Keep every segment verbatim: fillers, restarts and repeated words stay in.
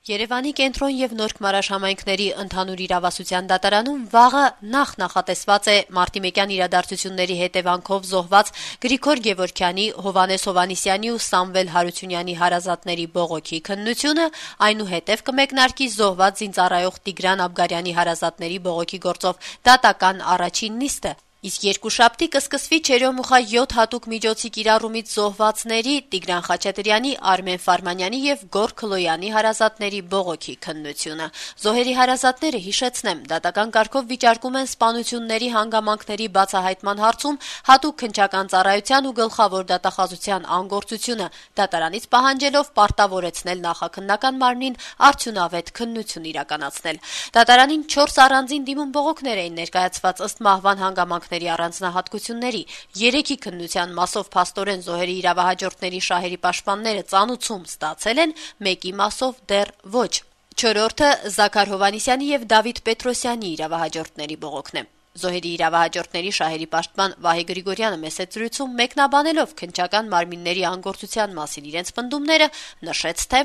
Երևանի կենտրոն եւ Նորք Մարաշ համայնքների ընդհանուր իրավասության դատարանում վաղը նախ նախատեսված է մարտիմեկյան իրադարձությունների հետևանքով զոհված Գրիգոր Գևորգյանի, Հովհաննես Հովհաննիսյանի ու Սամվել Հարությունյանի հարազատների բողոքի քննությունը, այնուհետև կմեկնարկի զոհված զինծառայող Տիգրան Աբգարյանի հարազատների բողոքի գործով դատական առաջին նիստը։ Իսկ երկուշաբթի կսկսվի Չերյոմուխա յոթ հատուկ միջոցի կիրառումից զոհվածների Տիգրան Խաչատրյանի, Արմեն Ֆարմանյանի եւ Գոռ Քլոյանի հարազատների բողոքի քննությունը։ Զոհերի հարազատները, հիշեցնեմ, դատական կարգով վիճարկում են սպանությունների հանգամանքների բացահայտման հարցում հատուկ քննչական ծառայության ու գլխավոր դատախազության անգործությունը, դատարանից պահանջելով պարտավորեցնել նախաքննական մարմնին արդյունավետ քննություն իրականացնել։ Դատարանին չորս առանձին դիմում բողոքներ էին ներկայացված ըստ մահվան հանգամանքների առանձնահատկությունների։ Երեքի քննության մասով փաստորեն զոհերի իրավահաջորդների շահերի պաշտպանները ծանուցում ստացել են, մեկի մասով դեռ ոչ։ Չորրորդը Զաքար Հովհաննիսյանի եւ Դավիթ Պետրոսյանի իրավահաջորդների բողոքն է։ Զոհերի իրավահաջորդների շահերի պաշտպան Վահե Գրիգորյանը մեծ զրույցում մեկնաբանելով քննչական մարմինների անգործության մասին իրենց պնդումները նշեց, թե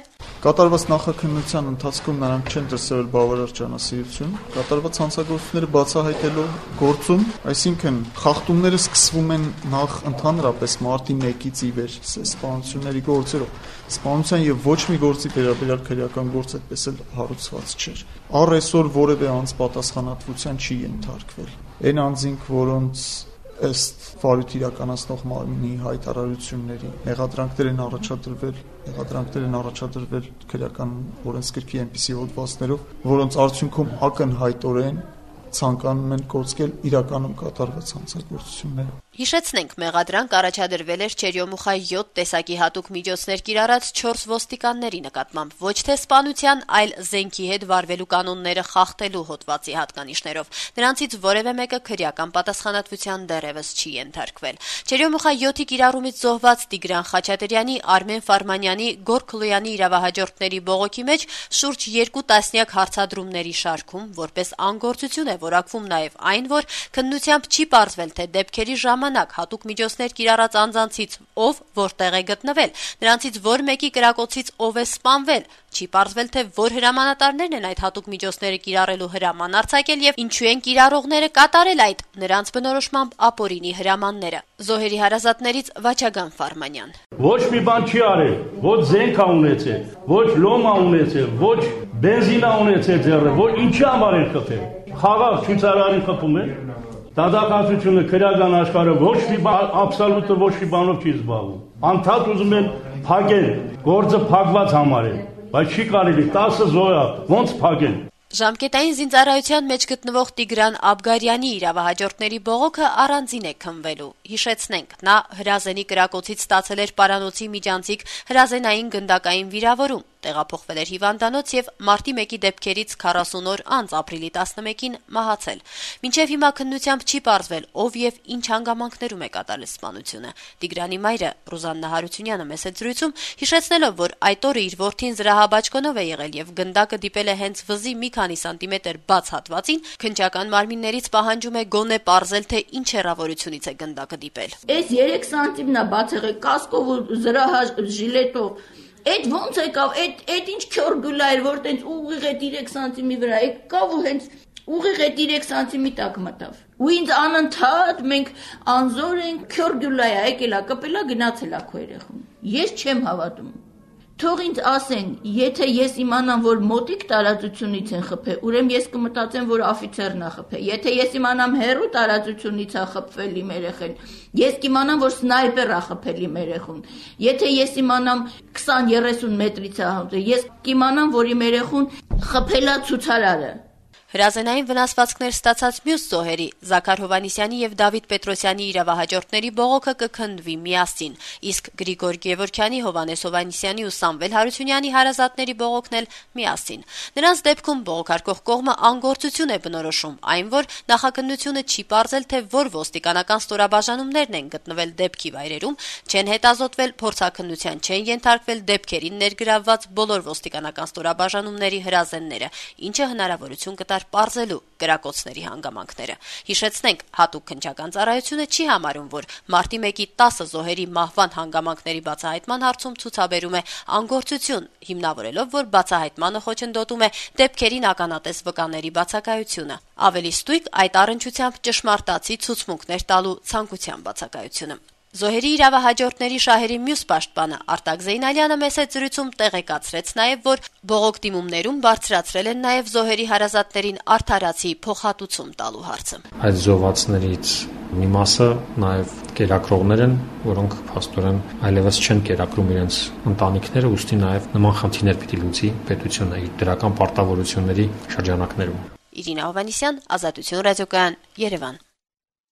կատարված նախաքննության ընթացքում նրանք չեն դրսևորել բավարար ջանասիրություն, կատարված հանցագործությունները բացահայտելու գործում, այսինքն խախտումները սկսվում են նախ ընդհանրապես մարտի մեկից ի վեր սպանությունների գործերով։ Սպանության եւ ոչ մի գործի վերաբերյալ քրեական գործ այդպես էլ հարուցված չէր։ Առ այսօր որևէ անձ պատասխանատվության չի ենթարկվել։ Այն անձինք, որոնց ըստ վարույթ իրականացնող մարմինի հայտարարությունների մեղադրանքներ են առաջադրվել, մեղադրանքներ են առաջադրվել քրեական օրենսգրքի այնպիսի հոդվածներով, որոնց արդյունքում ակնհայտորեն ցանկանում են կոծկել իրականում կատարված հանցագործությունները։ Հիշեցնենք, մեղադրանք առաջադրվել էր Չերյոմուխա յոթ տեսակի հատուկ միջոցներ կիրառած չորս ոստիկանների նկատմամբ, ոչ թե սպանության, այլ զենքի հետ վարվելու կանոնները խախտելու հոդվածի հատկանիշներով։ Նրանցից որևէ մեկը քրեական պատասխանատվության դեռևս չի ենթարկվել։ Չերյոմուխա յոթի կիրառումից զոհված Տիգրան Խաչատրյանի, Արմեն Ֆարմանյանի, Գոռ Քլոյանի իրավահաջորդների բողոքի մեջ շուրջ երկու տասնյակ հարցադրումների շարքում որպես անգործություն է որակվում նաև այն, որ քննությամբ չի պարզվել, թե դեպքերի ժամանակ հատուկ միջոցներ կիրառած անձանցից ով որտեղ է գտնվել, նրանցից որ մեկի կրակոցից ով է սպանվել, չի պարզվել, թե որ հրամանատարներն են այդ հատուկ միջոցները կիրառելու հրաման արձակել եւ ինչու են կիրառողները կատարել այդ նրանց բնորոշմամբ ապօրինի հրամանները։ Զոհերի հարազատներից Վաչագան Ֆարմանյան. Ոչ մի բան չի արել, ոչ զենք ա ունեցել, ոչ լոմ ա ունեցել, ոչ բենզին ա ունեցել ձեռը, ոչ ինչի համար են խփել։ Խաղաղ ցույցարարին խփում են։ Դատախազությունը քրեական աշխարհը ոչ մի բան, աբսոլյուտը ոչ մի բանով չի զբաղվում։ Անդադ ուզում են փակել, գործը փակված համարել, բայց չի կարելի տասը զոհ ոնց փակել։ Ժամկետային զինծառայության մեջ գտնվող Տիգրան Աբգարյանի իրավահաջորդների բողոքը առանձին է քննվելու։ Հիշեցնենք, նա հրազենի կրակոցից ստացել էր պարանոցի միջանցիկ հրազենային գնդակային վիրավորում, տեղափոխվել էր հիվանդանոց եւ մարտի մեկի դեպքերից քառասուն օր անց ապրիլի տասնմեկին մահացել։ Մինչեւ հիմա քննությամբ չի պարզվել, ով եւ ինչ հանգամանքներում է կատարել սպանությունը։ Տիգրանի մայրը Ռուզաննա Հարությունյանը մեծ զրույցում հիշեցնելով, որ այդ օրը իր որդին զրահաբաճկոնով է եղել եւ գնդակը դիպել է հենց վզի մի քանի սանտիմետր բաց հատվածին, քննչական մարմիններից պահանջում է գոնե պարզել, թե ինչ հեռավորությունից է գնդակը դիպել։ Այս երեք սանտիմն է բաց եղել կասկով ու զրահաժիլետով։ Այդ ոնց եկավ, այդ այդ ինչ քյոր գուլա էր, որ տենց ուղիղ այդ երեք սանտիմի վրա եկավ ու հենց ուղիղ այդ երեք սանտիմի տակ մտավ։ Ու ինձ անընդհատ մենք անզոր ենք, քյոր գուլա է, եկել է, կպել է, գնացել է քո երեխուն։ Ես չեմ հավատում։ Թող ինձ ասեն, եթե ես իմանամ, որ մոտիկ տարածությունից են խփել, ուրեմն ես կմտածեմ, որ աֆիցերն է խփել։ Եթե ես իմանամ հեռու տարածությունից է խփվել իմ երեխան, ես կիմանամ, որ սնայպեր է խփել իմ երեխուն։ Եթե ես իմանամ քսան երեսուն մետրից է հանդիպել, ես կիմանամ, որ իմ երեխուն խփել է ցուցարարը։ Հրազենային վնասվածքներ ստացած մյուս զոհերի Զաքար Հովհաննիսյանի եւ Դավիթ Պետրոսյանի իրավահաջորդների բողոքը կքննվի միասին, իսկ Գրիգոր Գևորգյանի, Հովհաննես Հովհաննիսյանի ու Սամվել Հարությունյանի հարազատների բողոքն էլ միասին։ Նրանց դեպքում բողոքարկող կողմը անգործություն է բնորոշում, այն որ նախաքննությունը չի պարզել, թե որ ոստիկանական ստորաբաժանումներն են գտնվել դեպքի վայրերում, չեն հետազոտվել, փորձաքննության չեն ենթարկվել դեպքերին ներգրավված բոլոր ոստիկանական ստորաբաժանումների հրազենները, ինչը հնարավորություն կտա հավասար պարզելու կրակոցների հանգամանքները։ Հիշեցնենք, հատուկ քննչական ծառայությունը չի համարում, որ մարտի մեկի տասը զոհերի մահվան հանգամանքների բացահայտման հարցում ցուցաբերում է անգործություն, հիմնավորելով, որ բացահայտմանը խոչընդոտում է դեպքերին ականատես վկաների բացակայությունը։ Ավելի ստույգ այդ առնչությամբ ճշմարտացի ցուցմունքներ տալու ցանկության բացակայությունը։ Զոհերի իրավահաջորդների շահերի մյուս պաշտպանը Արտակ Զեյնալյանը մեծ զրույցում տեղեկացրեց նաև, որ բողոք դիմումներում բարձրացրել են նաև զոհերի հարազատներին արդարացի փոխհատուցում տալու հարցը։ Այդ զոհվածներից մի մասը նաև կերակրողներ են, որոնք փաստորեն այլևս չեն կերակրում իրենց ընտանիքները, ուստի նաև նման խնդիրներ պիտի լուծի պետությունը իր դրական պարտավորությունների շրջանակներում։ Իրինա Հովհաննիսյան, Ազատություն ռադիոկայան, Երևան։